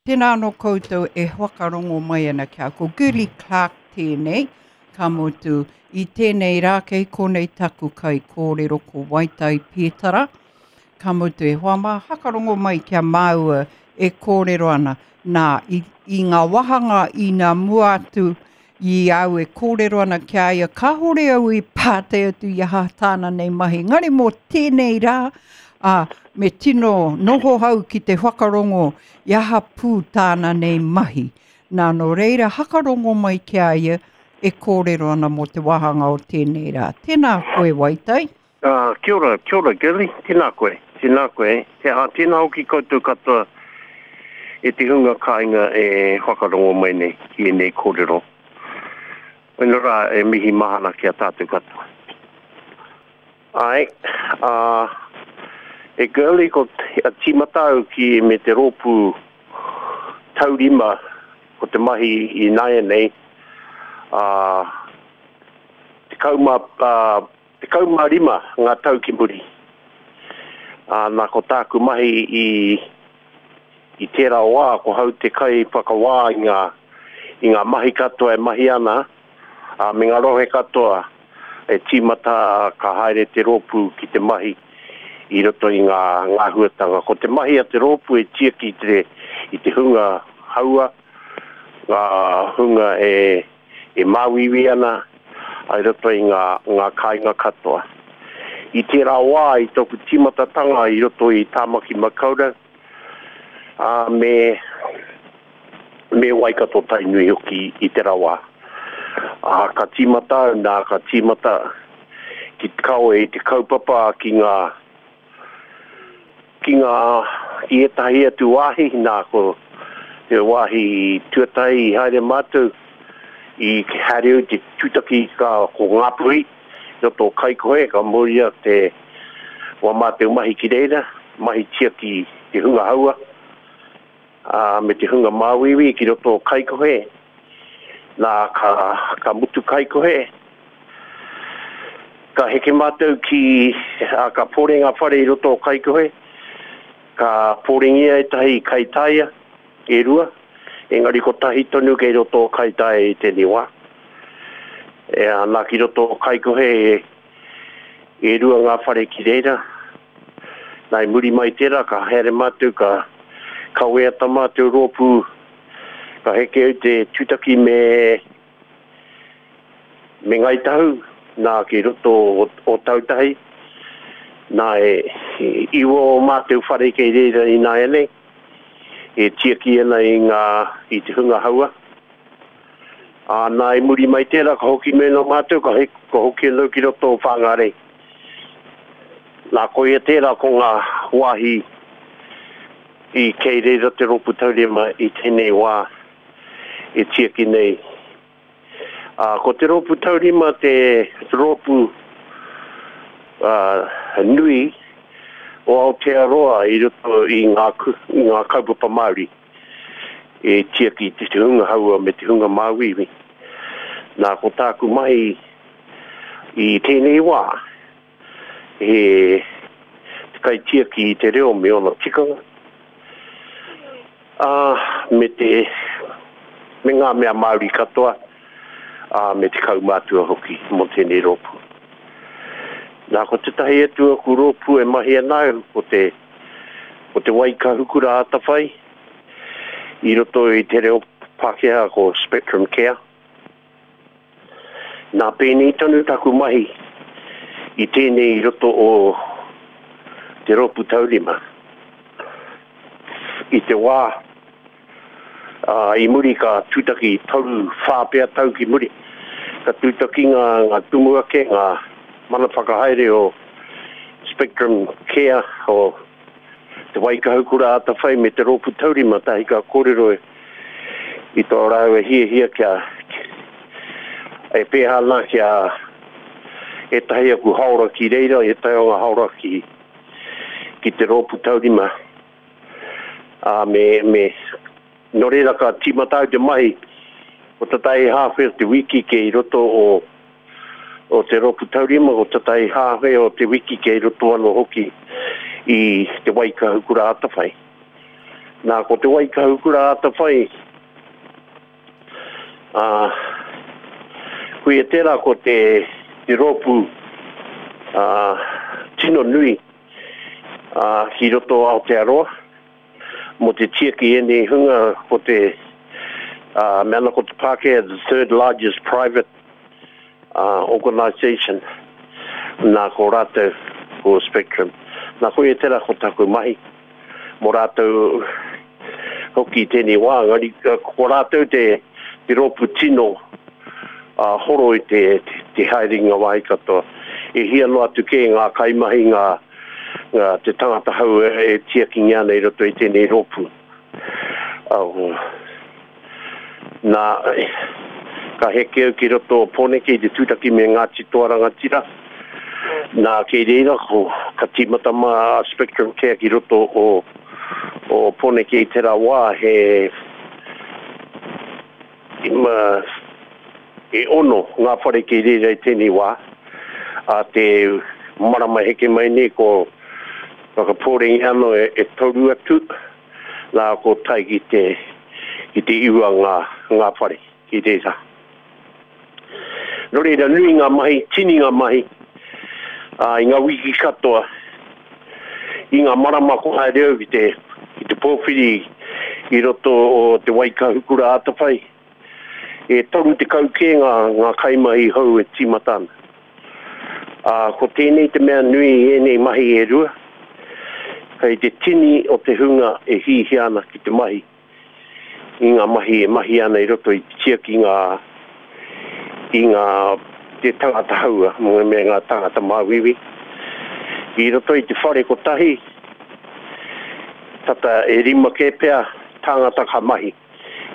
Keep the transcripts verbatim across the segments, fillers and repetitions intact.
Tēnā anō koutou e whakarongo mai ana ki a ko Girlie Clarke tēnei, ka mutu i tēnei rā kei konei taku kai kōrero ko Waitai Pētara, ka mutu e hoa mā hakarongo mai kia māua e kōrero ana. Nā, i, i ngā wāhanga i nā mua atu i au e kōrero ana ki a ia, kāhore au i pātai atu i aha tāna nei mahi. Ngari mō tēnei rā, ā, me tino noho hau ki te whakarongo i aha pū tāna nei mahi. Nā, nō reira, hakarongo mai ki a ia e kōrero ana mō te wāhanga o tēnei rā. Tēnā koe, Waitai. Uh, kia ora, kia ora, Girlie. Tēnā koe, tēnā koe. Te aha, tēnā hoki koutou katoa e te hunga kāinga e whakarongo mai nei ki ēnei kōrero. Wena rā e mihi mahana ki a tātou katoa. Ai, uh, e Girlie ko a tīmata au ki me te rōpū taurima ko te mahi i nāianei, uh, tekau mā, uh, tekau mā rima ngā tau ki muri. Uh, nā ko tāku mahi i, i tērā wā, ko hau te kai whakawā i ngā, i ngā mahi katoa e mahi ana, uh, me ngā rohe katoa e tīmata ka haere te rōpū ki te mahi i roto i ngā, ngā huatanga. Ko te mahi a te rōpū e tiaki i te, i te hunga haua, ngā hunga e, e māuiui ana i roto i ngā, ngā kāinga katoa. I tērā wā, i tōku tīmatatanga i roto i Tāmaki Makaurau, ā, me, me Waikato Tainui hoki i tērā wā. Ā, ka tīmata au, nā, ka tīmata ki te kawe i te kaupapa ki ngā, ki ngā, ki ētahi atu wāhi, nā, ko te wāhi tuatahi i haere mātou, i haere au te tūtaki ka ko Ngāpuhi, roto o Kaikohe, ka mauria te wā mātou mahi ki reira, mahi tiaki te hunga haua, ā, me te hunga māuiui ki roto o Kaikohe. Nā, ka, ka mutu Kaikohe, ka heke mātou ki, ā, ka pore ngā whare i roto o Kaikohe, ka porengia ētahi Kaitaia e rua, engari kotahi tonu kei roto o Kaitaia i tēnei wā. E, ā, nā ki roto o Kaikohe e, e rua ngā whare ki reira. Nā, i muri mai tērā, ka haere mātou, ka kawea tā mātou rōpū, ka heke au te tūtaki me, me Ngāi Tahu, nā ki roto o, o Tautahi. Nā, e, e, iwa o mātou whare kei reira i nāianei, e tiaki ana i ngā, i te hunga haua. Ā, nā, i muri mai tērā, ka hoki mēnā mātou, ka, he, ka hoki anō ki roto o Whāngārei. Nā, koia tērā ko ngā wāhi i kei reira te rōpū taurima i tēnei wā e tiaki nei. Ā, ko te rōpū taurima te rōpū uh, nui o Aotearoa i roto i ngā, i ngā kaupapa Māori e tiaki te hunga haua me te hunga māuiui. Nā, ko tāku mahi i tēnei wā, he te kaitiaki i te reo me ōna tikanga, ā, me te, me ngā mea Māori katoa, ā, me te kaumātua hoki mō tēnei rōpū. Nā, ko tētahi atu aku rōpū e mahi ana au, ko te, ko te Waikahukura Atawhai, i roto i te reo Pākehā ko Spectrum Care. Nā, pēnei tonu taku mahi i tēnei i roto o te rōpū taurima. I te wā, ā, i muri ka tūtaki toru whā pea tau ki muri, ka tūtaki ngā, ngā tumuake, ngā mana whakahaere o Spectrum Care, o te Waikahukura Atawhai me te rōpū taurima, tahi ka kōrero i tō rāua hiahia kia, e pēhā ana kia ētahi aku haora ki reira, ētahi o ngā haora ki, ki te rōpū taurima. Ā, me, me, nō reira ka tīmata au te mahi, ko tētahi hāwhe o te wiki kei roto o, o te rōpū taurima, ko tētahi hāwhe o te wiki kei roto anō hoki i te Waikahukura Atawhai. Nā, ko te Waikahukura Atawhai, ā, koia tērā ko te, te rōpū ā, tino nui ā, ki roto o Aotearoa, mō te tiaki ēnei hunga ko te, ā, mea ana ko te Pākehā the third largest private uh, organisation, nā ko rātou ko Spectrum. Nā koia tērā ko taku mahi mō rātou hoki i tēnei wā, engari ko rātou te, te rōpū tino uh, horo i te, te, te haerenga wāhi katoa. E hia noa atu kē ngā kaimahi, ngā, ngā te tangata hau e, e tiakingia ana i roto i tēnei rōpū. Uh, nā, ka heke au ki roto o Pōneke i te tūtaki me Ngāti Toa Rangatira. Nā, kei reira, ko, ka tīmata mā Spectrum Care ki roto o, o Pōneke i tērā wā, he ima, e ono ngā whare kei reira i tēnei wā. A te marama heke mai nei ko whakapōrengi anō e, e toru atu, nā ko tae ki te, ki te iwa ngā, ngā whare ki reira. Nō reira, nui ngā mahi, tini ngā mahi, ā, i ngā wiki katoa, i ngā marama ko haere au ki te, ki te pōwhiri i roto o te Waikahukura Atawhai, e toru tekau kē ngā, ngā kaimahi hou e tīmata ana. Ā, ko tēnei te mea nui i ēnei mahi e rua, kei te tini o te hunga e hihia ana ki te mahi, i ngā mahi e mahi ana i roto i te tiaki ngā, i ngā te tangata haua, me ngā tangata māuiui. I roto i te whare kotahi, tata e rima kē pea tāngata ka mahi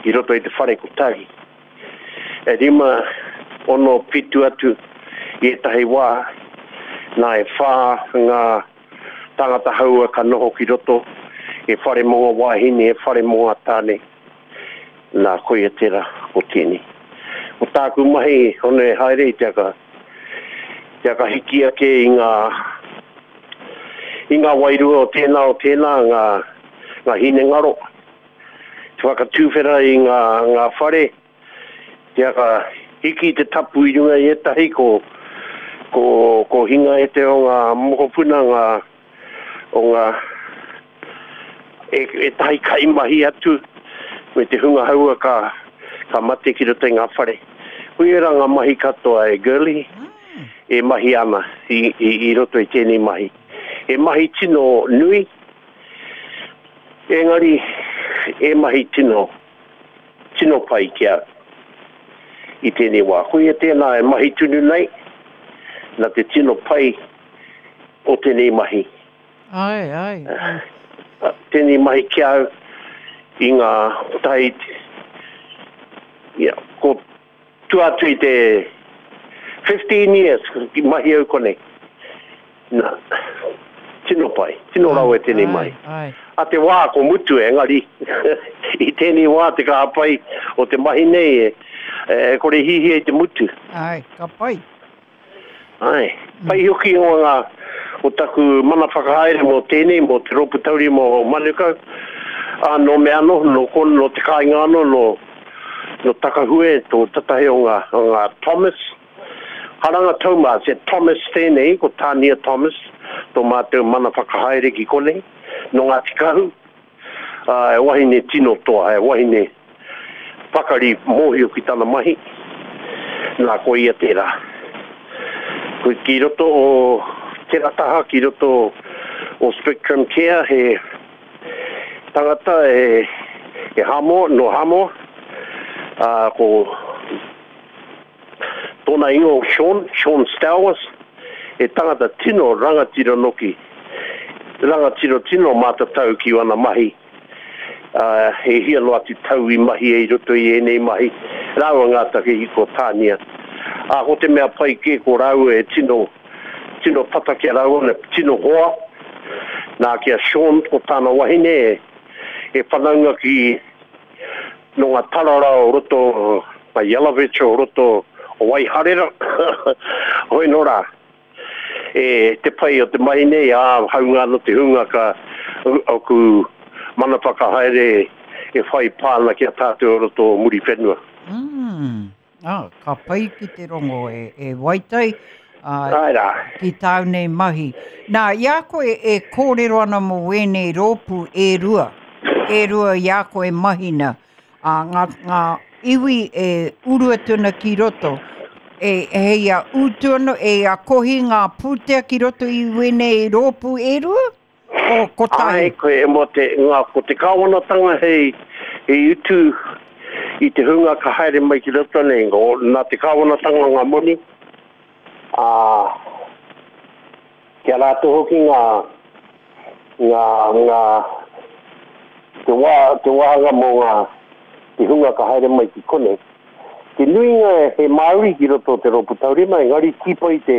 i roto i te whare kotahi. E rima ono pitu atu i ētahi wā, nā e whā ngā tangata haua ka noho ki roto, e whare mō ngā wāhine, e whare mō ngā tāne. Nā, koia tērā ko tēnei. Ko tāku mahi, hono e haere i te aka, te aka hiki ake i ngā, i ngā wairua o tēnā o tēnā, ngā, ngā hinengaro, te whakatūwhera i ngā, ngā whare, te aka hiki te tapu i runga i ētahi, ko, ko, ko hinga e te o ngā mokopuna, ngā, o ngā, e, ētahi kaimahi atu, me te hunga haua ka, ka mate ki roto i ngā whare. Koia rā ngā mahi katoa e Girlie, e mahi ana i, i, i roto i tēnei mahi. E mahi tino nui, engari e mahi tino, tino pai ki au i tēnei wā. Koia tēnā e mahi tunu nei, nā te tino pai o tēnei mahi. Ai, ai, ai. Tēnei mahi ki au i ngā tahi, ia, ko tua atu i te fifteen years ki mahi au konei. Nā, tino pai, tino rawe tēnei mahi. Ai, ai. A te wā ko mutu engari, i tēnei wā te kaha pai o te mahi nei e, e kore hihia i te mutu. Ai, ka pai. Ai, pai hoki o ngā, o taku mana whakahaere mō tēnei, mō te rōpū tauri mō Manukau, ā, nō me anō, nō kono, nō te kāinga anō, nō, nō Takahue, tō tatahi o ngā, o ngā Thomas. Haranga Thomas, e Thomas tēnei, ko Tania Thomas, tō mātou mana whakahaere ki konei, nō Ngāti Kahu, ā, e wahine tino toa, e wahine pakari mōhio ki tana mahi, nā ko ia tērā. Ko ki roto o tērā taha, ki roto o Spectrum Care, he tangata e, e Hamoa, no Hamoa, ā, ko tōna ingoa Sean, Sean Stowers, e tangata tino rangatira noki, rangatira tino mātatau ki wana mahi, ā, e hia noa atu tau i mahi e i roto i ēnei mahi, rāua ngā take i ko Tānia. Ā, ko te mea pai kē ko rāua e tino, tino tata ki a rāua, ne tino hoa, nā ki a Sean ko tāna wahine e, e whanaunga ki no ngā tarara o roto, ngā Yelovich o roto o Waiharera, hoi nō rā. E te pai o te mahi nei, ā, haunga anō te hunga ka, oku, mana whakahaere e whai pāna ki a tātou o roto o Muriwhenua. Mm. Ah, ka pai ki te rongo e, e Waitai, uh, Ai rā. ki tāu nei mahi. Nā, i a koe e kōrero ana mō wēnei rōpū e rua, e rua i a koe mahina, a ngā, ngā iwi e uru atu ana ki roto, e, hei a utu ana, e a kohi ngā pūtea ki roto i wēnei rōpū e rua? O kotahi? Ai, koe e mō te, ngā, ko te kāwanatanga hei, hei utu i te hunga ka haere mai ki roto nei, ngō, nā te kāwanatanga ngā moni, ā, kia rātou hoki ngā, ngā, ngā, te wā, te wāhanga mō ngā, te hunga ka haere mai ki konei. Te nuinga he Māori ki roto o te rōpū taurima, engari tīpa i te,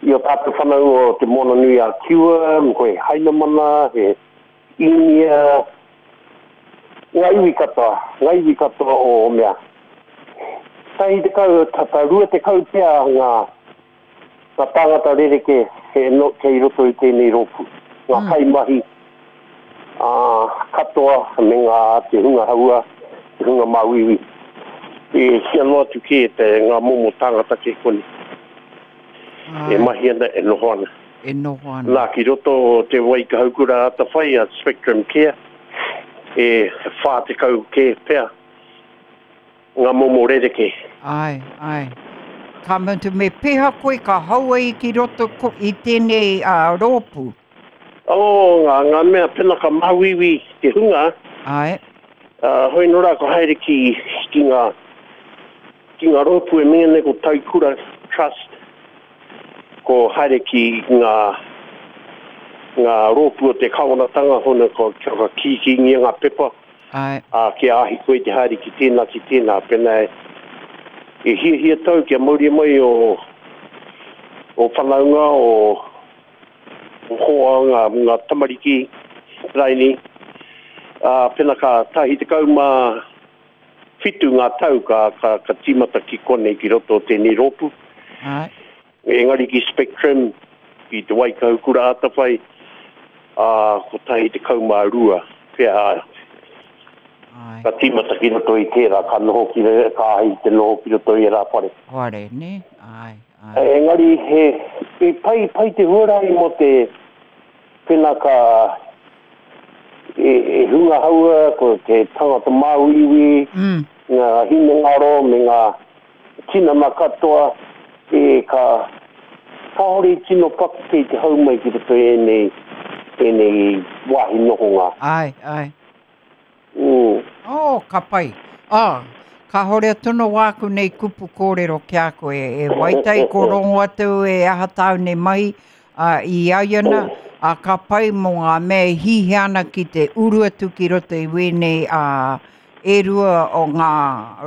i o tātou whanau o te Moana Nui a Kiwa, ko he Hainamana, he Īnia, ngā iwi katoa, ngā iwi katoa o mea. Tahi tekau, tata rua tekau pea ngā, ngā tāngata rerekē he no, kei roto i tēnei rōpū. Ngā Mm. kaimahi, ā, katoa me ngā te hunga haua, te hunga māuiui. E hia noa atu kē te ngā momo tāngata kei konei. E Ai. mahi ana, e noho ana. E noho ana. Nā, ki roto o te Waikahaukura Atawhai a Spectrum Care, e whā tekau kē pea ngā momo rerekē. Ai, ai. Ka mutu, me peha koe ka hau ai ki roto ko, i tēnei uh, rōpū. Oh, ngā, ngā mea pena ka māuiui te hunga, Ai. uh, hoi nō rā ka haere ki, ki ngā, ki ngā rōpū e mea nei ko Taikura Trust, ko haere ki ngā, ngā rōpū o te kāwanatanga hona ko, ko kīkīngia ngā pepa, Ai. ā, kia āhi koe te haere ki tēnā, ki tēnā, pena e, e hiahia tau kia mauria mai o, o whanaunga, o, o hoa, ngā, ngā tamariki, raini, ā, pena ka tahi tekau mā whitu ngā tau ka, ka, ka tīmata ki konei ki roto o tēnei rōpū. Ai. Engari ki Spectrum, ki te Waikahaukura Atawhai, ā, ko tahi tekau mā rua, pea, Ai. ka tīmata ki roto i tērā, ka noho ki, re- ka ahi te noho ki roto i e rā whare. Whare, ne? Ai, ai. Engari, he, he pai, pai te huarahi mō te pena ka e, e hunga haua, ko te tangata māuiui, Mm. ngā hinengaro me ngā tinana katoa, e ka kāore i tino pakeke i te hau mai ki roto i ēnei, ēnei wāhi nohonga. Ai, ai. Mm. Oh, ka pai. Ah, ka hore atu no wāku nei kupu kōrero ki a koe. E Waitai ko rongo atu e aha tāu nei mahi uh, i aiana, a ka pai mō ngā mea e hihi ana ki te uru atu ki roto i wēnei uh, e rua o ngā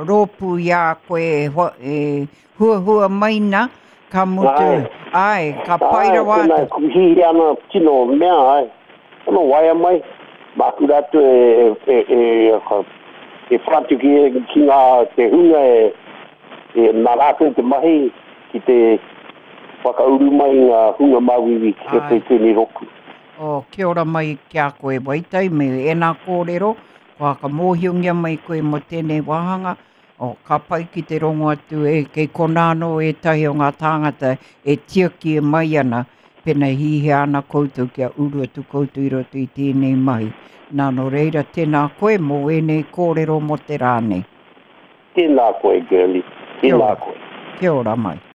rōpū i a koe e, hua, e huahua mai na, ka mutu. Ai. Ai, ka pai Ai, rawa pēnā atu. e kuhihi ana tino mea, ai. Ono waia mai, māku rātou e, e, e, e, e whātu ki, ki ngā te hunga e, e nā rātou te mahi ki te whakauru mai ngā hunga māuiui ki roto Ai. i tēnei rōpū. O, kia ora mai ki a koe Waitai me ēnā kōrero, kua ka mōhiongia mai koe mō tēnei wāhanga, o, ka pai ki te rongo atu e kei konā anō ētahi o ngā tāngata e tiaki e mai ana, pena hihia ana koutou kia uru atu koutou i roto i tēnei mahi. Nā nō reira, tēnā koe mō ēnei kōrero mō te rā nei. Tēnā koe, girlie. Kia Tēnā ora. koe. Kia ora mai.